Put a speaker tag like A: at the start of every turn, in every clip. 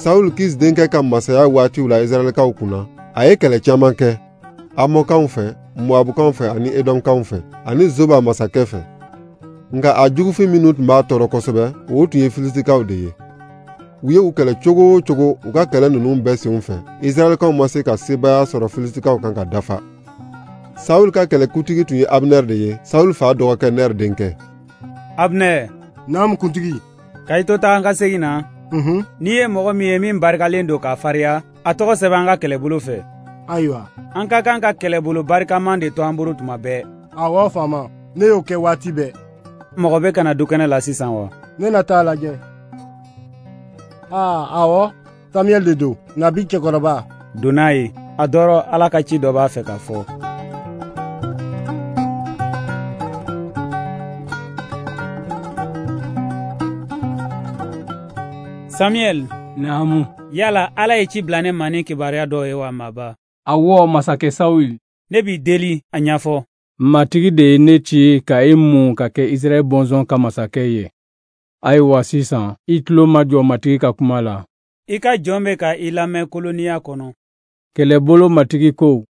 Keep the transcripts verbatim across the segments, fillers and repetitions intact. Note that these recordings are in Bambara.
A: Saul Kis denkɛ ka masaya waatiw la Israɛlkaw kunna, a ye kɛlɛ caman kɛ Amɔnkaw fɛ, Moabukaw fɛ ani Edɔmkaw fɛ, ani Zoba masakɛ fɛ. Nka a jugufin minnu tun b'a tɔɔrɔ kosɛbɛ, o tun ye Filisitikaw de ye. U ye u kɛlɛ cogo o cogo u ka kɛlɛ ninnu bɛɛ senw fɛ, Israɛlkaw ma se ka sebaaya sɔrɔ Filisitikaw kan ka dafa. Saul ka kɛlɛkuntigi tun ye Abner de ye, Saul fa dɔgɔkɛ Ner denkɛ.
B: Abner.
C: Naamu kuntigi.
B: Ka i to taa an ka segin na.
C: Unhun.
B: N'i ye mɔgɔ min ye min barikalen don k'a fariya, a tɔgɔ sɛbɛn an ka kɛlɛbolo fɛ.
C: Ayiwa.
B: An ka kan ka kɛlɛbolo barikaman de to an bolo tuma bɛɛ.
C: Awɔ faama, ne y'o kɛ waati bɛɛ.
B: Mɔgɔ bɛ ka na dukɛnɛ la sisan wa?
C: Ne na taa lajɛ. Aa, awɔ, Samuel de don, nabi cɛkɔrɔba.
B: Don n'a ye, a dɔrɔ Ala ka ci dɔ b'a fɛ ka fɔ. Samuel.
D: Naamu.
B: Yala Ala ye ci bila ne ma ni kibaruya dɔ ye wa maaba?
D: Awɔ, masakɛ Saul.
B: Ne b'i deli a ɲɛfɔ.
D: Matigi de ye ne ci ka e mun ka kɛ Israɛl bɔnsɔn ka masakɛ ye. Ayiwa sisan, i tulo ma jɔ Matigi ka kuma la.
B: I ka jɔn bɛ ka i lamɛn koloniya kɔnɔ.
D: Kɛlɛbolo Matigi ko,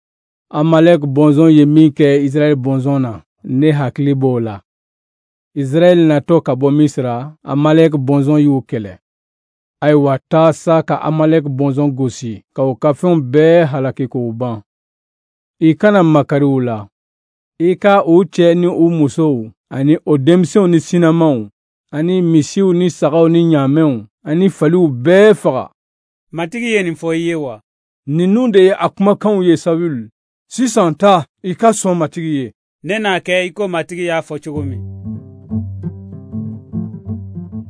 D: Amalek bɔnsɔn ye min kɛ Israɛl bɔnsɔn na, ne hakili b'o la. Israɛl natɔ ka bɔ Misira, Amalek bɔnsɔn y'u kɛlɛ. Ayiwa taa sa ka Amalek bɔnsɔn gosi, ka u ka fɛnw bɛɛ halaki k'u ban. I kana makari u la. I ka u cɛ ni u musow, ani o denmisɛnw ni sinamaw, ani misiw ni sagaw ni ɲaamɛw, ani faliw bɛɛ faga.
B: Matigi ye nin fɔ i ye wa?
D: Ninnu de ye a kumakanw ye Saul. Sisan taa, i ka sɔn Matigi ye.
B: Ne n'a kɛ i ko Matigi y'a fɔ cogo min.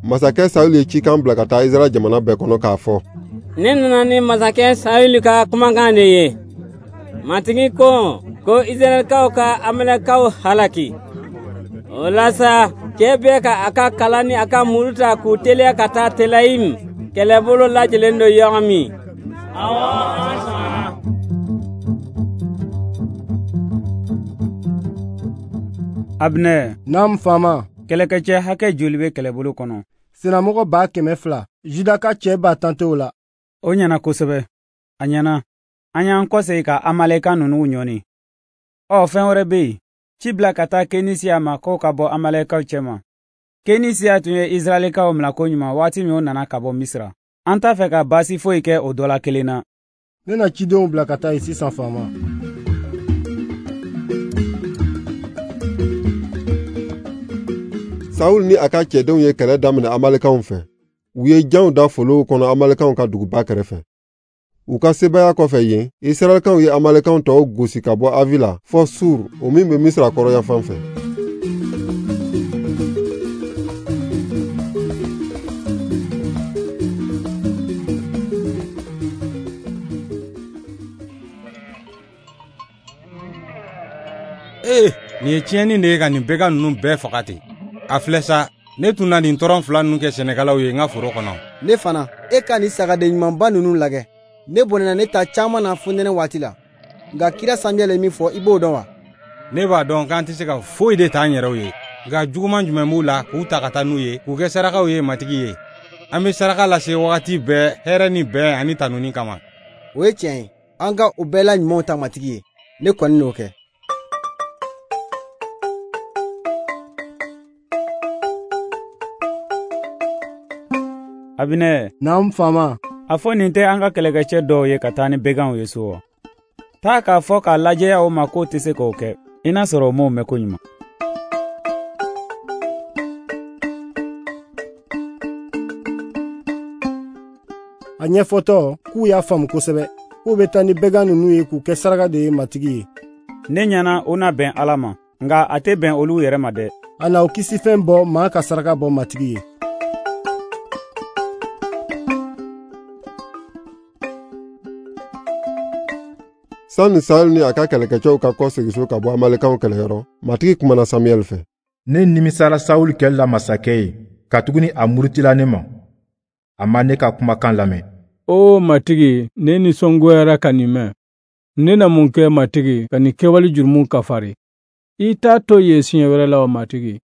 A: Masakɛ Saul ye cikan bila ka taa Israɛl jamana bɛɛ kɔnɔ k'a fɔ:
E: Ne nana ni masakɛ Saul ka kumakan de ye. Matigi ko ko Israɛlkaw ka Amalɛkaw halaki. O la sa, cɛ bɛɛ ka a ka kala ni a ka muru ta k'u teliya ka taa Telayim, kɛlɛbolo lajɛlen don yɔrɔ min.
B: Awɔ, an sɔnna. Abner.
C: Naamu faama.
B: Kɛlɛkɛcɛ hakɛ joli bɛ kɛlɛbolo kɔnɔ?
C: Senamɔgɔ ba kɛmɛ fila, Juda ka cɛ ba tan t'o la.
B: O ɲɛna kosɛbɛ. A ɲɛna. An y'an kɔsegin ka Amalɛka ninnu ɲɔni. Ɔ, fɛn wɛrɛ bɛ yen. Ci bila ka taa Kenisiya ma k'o ka bɔ Amalɛkaw cɛma. Kenisiya tun ye Israɛlkaw minɛ koɲuman waati min o nana ka bɔ Misira. An t'a fɛ ka baasi foyi kɛ o dɔ la kelen na.
C: Ne na cidenw bila ka taa yen sisan faama.
A: Saul ni a ka cɛdenw ye kɛlɛ daminɛ Amalɛkaw fɛ. U ye janw da folow kɔnɔ Amalɛkaw ka duguba kɛrɛfɛ. U ka sebaaya kɔfɛ yen, Israɛlkaw ye Amalɛkaw tɔw gosi ka bɔ Avila fɔ Sur, o min bɛ Misira kɔrɔyanfan fɛ.
F: Ee, nin ye tiɲɛni de ye ka nin bɛgan ninnu bɛɛ faga ten. A filɛ sa, ne tun na nin tɔrɔn fila ninnu kɛ sɛnɛkɛlaw ye n ka foro kɔnɔ.
G: Ne fana, e ka nin sagaden ɲumanba ninnu lajɛ. Ne bɔnɛna ne ta caman na fonɛnɛ waati la. Nka kira Samuɛl ye min fɔ, i b'o dɔn wa?
F: Ne b'a dɔn k'an tɛ se ka foyi de t'an yɛrɛw ye. Nka juguman jumɛn b'u la k'u ta ka taa n'u ye, k'u kɛ sarakaw ye Matigi ye. An bɛ saraka lase wagati bɛɛ, hɛrɛ ni bɛn ani tanuni kama.
G: O ye tiɲɛ ye. An ka o bɛɛ la ɲumanw ta Matigi ye. Ne kɔni n'o kɛ.
B: Abinɛ.
C: Naamu faama.
B: A fɔ nin tɛ an ka kɛlɛkɛcɛ dɔw ye ka taa ni bɛganw ye so wa? Taa k'a fɔ k'a lajɛya o ma k'o tɛ se k'o kɛ. I n'a sɔrɔ o m'o mɛn koɲuman.
C: A ɲɛfɔtɔ k'u y'a faamu kosɛbɛ k'u bɛ taa ni bɛgan ninnu ye k'u kɛ saraka de ye Matigi ye.
B: Ne ɲɛna o na bɛn Ala ma, nka a tɛ bɛn olu yɛrɛ ma dɛ.
C: A na o kisifɛn bɔ maa ka saraka bɔ Matigi ye.
A: Sani Saul ni a ka kɛlɛkɛcɛw ka kɔsegin so ka bɔ Amalɛkaw kɛlɛyɔrɔ, Matigi kumana Samuɛl fɛ.
H: Ne nimisara Saul kɛli la masakɛ ye, katuguni a murutila ne ma. A ma ne ka kumakan lamɛn.
D: O Matigi, ne nisɔngoyara ka nin mɛn. Ne na mun kɛ Matigi ka nin kɛwale jurumu kafari? I t'a to yen siɲɛ wɛrɛ la wa Matigi?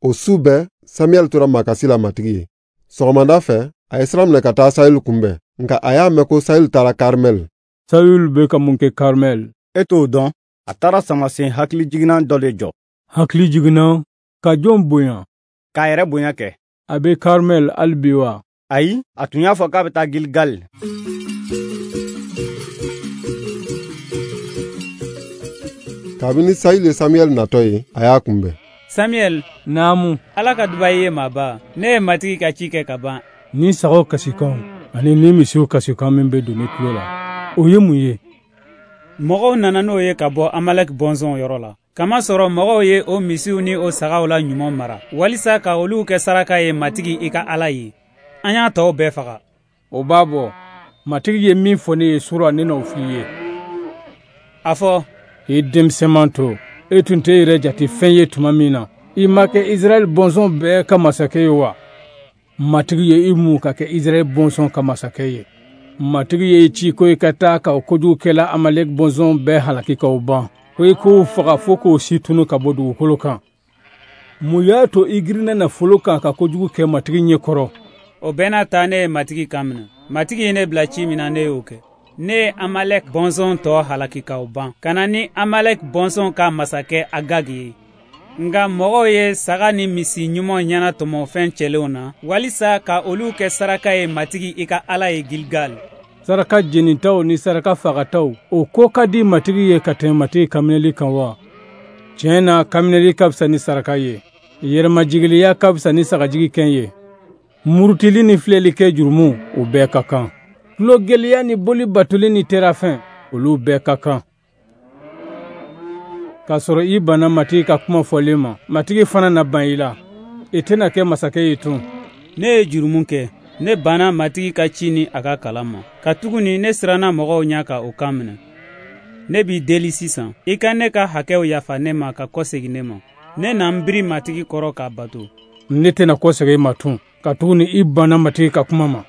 A: O su bɛɛ, Samuɛl tora makasi la Matigi ye. Sɔgɔmada fɛ, a ye sira minɛ ka taa Saul kunbɛn. Nka a y'a mɛn ko Sayul taara Karmɛl.
D: Sayul bɛ ka mun kɛ Karmɛl?
I: E t'o dɔn, a taara samasen hakilijiginnan dɔ de jɔ.
D: Hakilijiginnan? Ka jɔn bonya?
I: K'a yɛrɛ bonya kɛ.
D: A bɛ Karmɛl hali bi wa?
I: Ayi, a tun y'a fɔ k'a bɛ taa Gilgal.
A: Kabini Sayul ye Samuɛl natɔ ye, a y'a kunbɛn.
B: Samuɛl.
D: Naamu.
B: Ala ka duba i ye maaba. Ne ye Matigi ka ci kɛ ka ban.
D: Ni sagaw kasikan ani ni misiw kasikan min bɛ don ne tulo la, o ye mun ye?
B: Mɔgɔw nana n'o ye ka bɔ Amalɛk bɔnsɔnw yɔrɔ la. Kamasɔrɔ mɔgɔw ye o misiw ni o sagaw la ɲuman mara, walisa ka olu kɛ saraka ye Matigi i ka Ala ye. An y'a tɔw bɛɛ faga.
D: O b'a bɔ. Matigi ye min fɔ ne ye sura, ne n'o f'i ye.
B: A fɔ.
D: I denmisɛnman to, e tun tɛ yɛrɛ jate fɛn ye tuma min na, i ma kɛ Israɛl bɔnsɔn bɛɛ ka masakɛ ye wa? Matigi ye i mun ka kɛ Israɛl bɔnsɔn ka masakɛ ye. Matigi ye i ci ko i ka taa ka o kojugukɛla Amalɛk bɔnsɔn bɛɛ halaki k'o ban, ko i k'o faga fo k'o si tunu ka bɔ dugukolo kan. Mun y'a to i girinna nafolo kan ka kojugu kɛ Matigi ɲɛ kɔrɔ?
B: O bɛɛ n'a ta, ne ye Matigi kan minɛ. Matigi ye ne bila ci min na, ne y'o kɛ. Ne ye Amalɛk bɔnsɔn tɔ halaki k'o ban, ka na ni Amalɛk bɔnsɔn ka masakɛ Agag ye. Nka mɔgɔw ye saga ni misi ɲuman ɲɛnatɔmɔ fɛn cɛlenw na, walisa ka olu kɛ saraka ye Matigi i ka Ala ye Gilgal.
D: Saraka jenitaw ni saraka fagataw, o ko ka di Matigi ye ka tɛmɛ Matigi kanminɛli kan wa? Tiɲɛ na, kanminɛli ka fisa ni saraka ye. Yɛrɛmajigiliya ka fisa ni sagajigi kɛn ye. Murutili ni filɛli kɛ jurumu, o bɛɛ ka kan. Tulogɛlɛya ni boli batoli ni terafɛn, olu bɛɛ ka kan. K'a sɔrɔ i banna Matigi ka kuma fɔlen ma, Matigi fana na ban i la. I tɛna kɛ masakɛ ye tun.
B: Ne ye jurumu kɛ. Ne banna Matigi ka ci ni a ka kalan ma. Katuguni ne siranna mɔgɔw ɲɛ ka o kan minɛ. Ne b'i deli sisan, i ka ne ka hakɛw yafa ne ma ka kɔsegin ne ma. Ne na n biri Matigi kɔrɔ k'a bato.
D: Ne tɛna kɔsegin i ma tun, katuguni i banna Matigi ka kuma ma.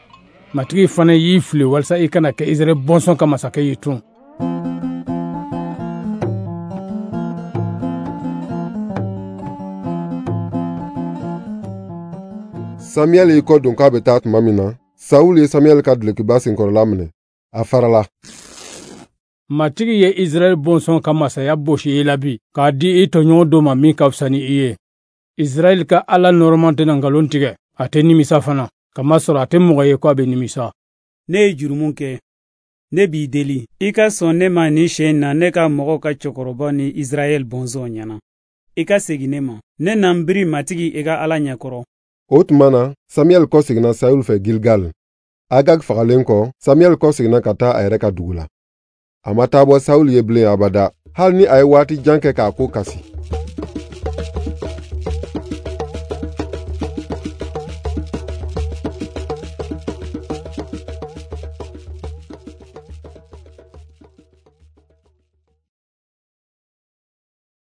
D: Matigi fana y'i fili walisa i kana kɛ Israɛl bɔnsɔn ka masakɛ ye tun.
A: Samuɛl y'i kɔ don k'a bɛ taa tuma min na, Saul ye Samuɛl ka dulokiba senkɔrɔla minɛ. A farala.
D: Matigi ye Israɛl bɔnsɔn ka masaya bosi i la bi, k'a di i tɔɲɔgɔn dɔ ma min ka fisa ni i ye. Israɛl ka Ala nɔrɔman tɛna nkalon tigɛ, a tɛ nimisa fana, kamasɔrɔ a tɛ mɔgɔ ye ko a bɛ nimisa.
B: Ne ye jurumu kɛ. Ne b'i deli, i ka sɔn ne ma nin siɲɛ in na ne ka mɔgɔw ka cɛkɔrɔba ni Israɛl bɔnsɔn ɲɛna. I ka segin ne ma. Ne na n biri Matigi i ka Ala ɲɛkɔrɔ.
A: O tuma na, Samuɛl kɔseginna Sayul fɛ Gilgal. Agag fagalen kɔ, Samuɛl kɔseginna ka taa a yɛrɛ ka dugu la. A ma taa bɔ Sayul ye bilen abada, hali ni a ye waati jan kɛ k'a ko kasi.